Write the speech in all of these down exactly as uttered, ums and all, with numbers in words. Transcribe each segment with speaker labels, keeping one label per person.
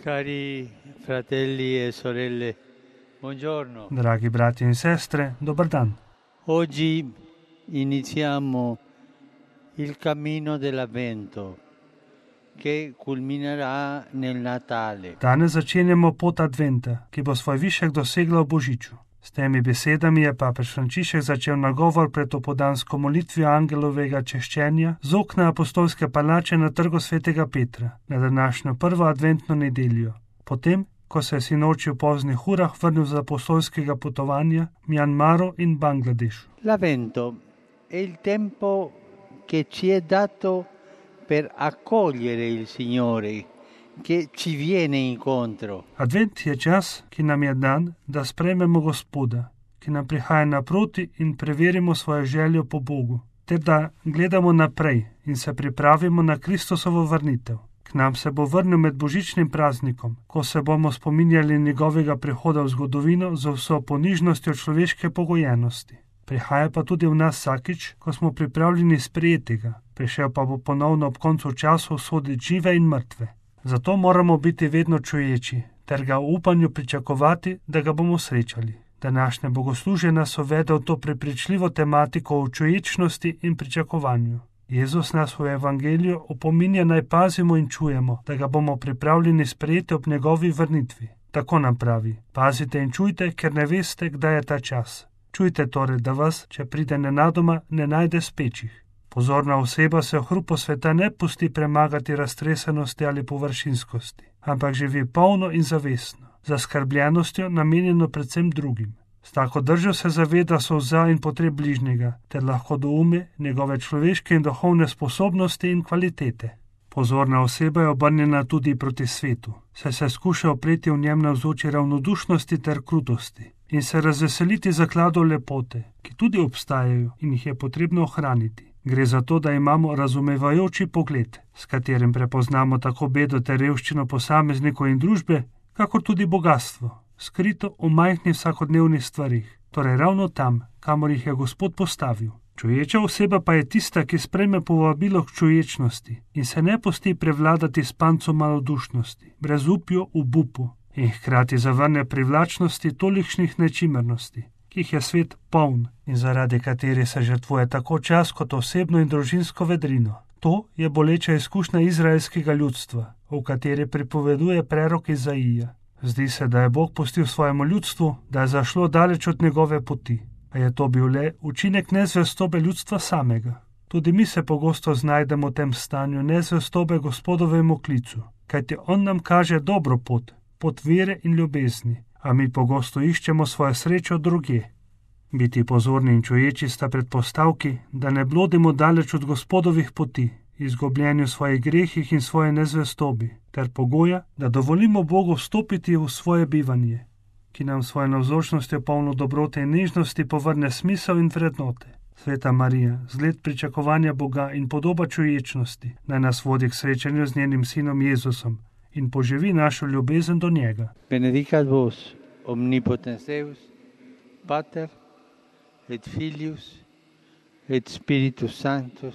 Speaker 1: Cari fratelli e sorelle, buongiorno.
Speaker 2: Dragi brati in sestre, dobar dan.
Speaker 1: Oggi iniziamo il cammino dell'Avvento che culminerà nel Natale.
Speaker 2: Danes začenjamo pot Adventa, ki bo svoj višek dosegla v Božiču. S temi besedami je papež Frančišek začel nagovor pred opodansko molitvijo angelovega češčenja z okna apostolske palače na trgu svetega Petra na današnjo prvo adventno nedeljo. Potem, ko se je sinoči v poznih urah vrnil z apostolskega potovanja v Mjanmaru in Bangladešu.
Speaker 1: L'Avvento è il tempo che ci è dato per accogliere il Signore, che ci viene incontro.
Speaker 2: Advent je čas, ki nam je dan, da sprejmemo Gospoda, ki nam prihaja naproti in preverimo svojo željo po Bogu, ter da gledamo naprej in se pripravimo na Kristusovo vrnitev. K nam se bo vrnil med božičnim praznikom, ko se bomo spominjali njegovega prihoda v zgodovino z vso ponižnostjo človeške pogojenosti. Prihaja pa tudi v nas vsakič, ko smo pripravljeni sprejeti ga, prišel pa bo ponovno ob koncu časov soditi žive in mrtve. Zato moramo biti vedno čuječi, ter ga v upanju pričakovati, da ga bomo srečali. Današnje bogoslužje nas uvede v to prepričljivo tematiko o čuječnosti in pričakovanju. Jezus nas v evangeliju opominja naj pazimo in čujemo, da ga bomo pripravljeni sprejeti ob njegovi vrnitvi. Tako nam pravi: pazite in čujte, ker ne veste, kdaj je ta čas. Čujte torej, da vas, če pride nenadoma, ne najde spečih. Pozorna oseba se v hrupu sveta ne pusti premagati raztresenosti ali površinskosti, ampak živi polno in zavestno, za skrbljenostjo namenjeno predvsem drugim. S tako držo se zaveda solza in potreb bližnjega, ter lahko doume njegove človeške in duhovne sposobnosti in kvalitete. Pozorna oseba je obrnjena tudi proti svetu, saj se skuša opreti v njem navzoči ravnodušnosti ter krutosti in se razveseliti zakladov lepote, ki tudi obstajajo in jih je potrebno ohraniti. Gre za to, da imamo razumevajoči pogled, s katerim prepoznamo tako bedo ter revščino posameznikov in družbe, kakor tudi bogatstvo, skrito v majhnih vsakodnevnih stvarih, torej ravno tam, kamor jih je Gospod postavil. Čuječa oseba pa je tista, ki sprejme povabilo k čuječnosti in se ne pusti prevladati s pancom malodušnosti, brezupju, obupu in hkrati zavrne privlačnosti tolikšnih nečimernosti, ki jih je svet poln in zaradi kateri se žrtvuje tako čas kot osebno in družinsko vedrino. To je boleča izkušnja izraelskega ljudstva, v kateri pripoveduje prerok Izaija. Zdi se, da je Bog pustil svojemu ljudstvu, da je zašlo daleč od njegove poti, a je to bil le učinek nezvestobe ljudstva samega. Tudi mi se pogosto znajdemo v tem stanju nezvestobe Gospodovemu klicu, kajti on nam kaže dobro pot, pot vere in ljubezni, a mi pogosto iščemo svojo srečo drugje. Biti pozorni in čuječi sta predpostavki, da ne blodimo daleč od Gospodovih poti, izgubljeni v svojih grehih in svoje nezvestobi, ter pogoja, da dovolimo Bogu vstopiti v svoje bivanje, ki nam svoje navzočnostjo polno dobrote in nežnosti povrne smisel in vrednote. Sveta Marija, zgled pričakovanja Boga in podoba čuječnosti, naj nas vodi k srečanju z njenim sinom Jezusom in poživi našo ljubezen do njega.
Speaker 1: Benedicat vos, omnipotens Deus, Pater, et Filius, et Spiritus Sanctus.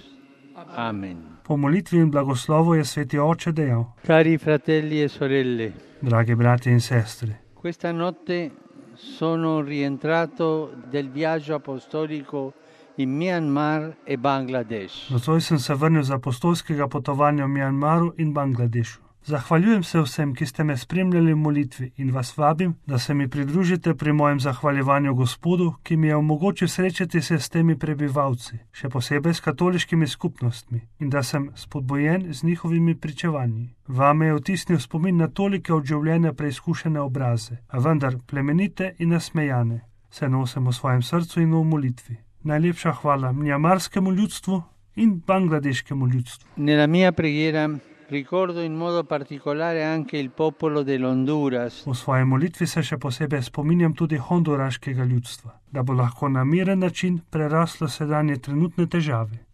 Speaker 1: Amen.
Speaker 2: Po molitvi in blagoslovu je sveti oče dejal:
Speaker 1: Cari fratelli e sorelle,
Speaker 2: dragi brati in sestre,
Speaker 1: questa notte sono rientrato del viaggio apostolico in Myanmar e Bangladesh.
Speaker 2: Nocoj sem se vrnil z apostolskega potovanja v Mjanmaru in Bangladešu. Zahvaljujem se vsem, ki ste me spremljali v molitvi in vas vabim, da se mi pridružite pri mojem zahvaljevanju Gospodu, ki mi je omogočil srečati se s temi prebivalci, še posebej s katoliškimi skupnostmi, in da sem spodbojen z njihovimi pričevanji. Vame je vtisnil spomin na tolike od življenja preizkušene obraze, a vendar plemenite in nasmejane, se nosim v svojem srcu in v molitvi. Najlepša hvala mjanmarskemu ljudstvu in bangladeškemu ljudstvu.
Speaker 1: Nella mia preghiera ricordo in modo particolare anche il popolo dell'Honduras.
Speaker 2: V svoji molitvi se še posebej spominjam tudi honduraškega ljudstva, da bo lahko na miren način preraslo sedanje trenutne težave.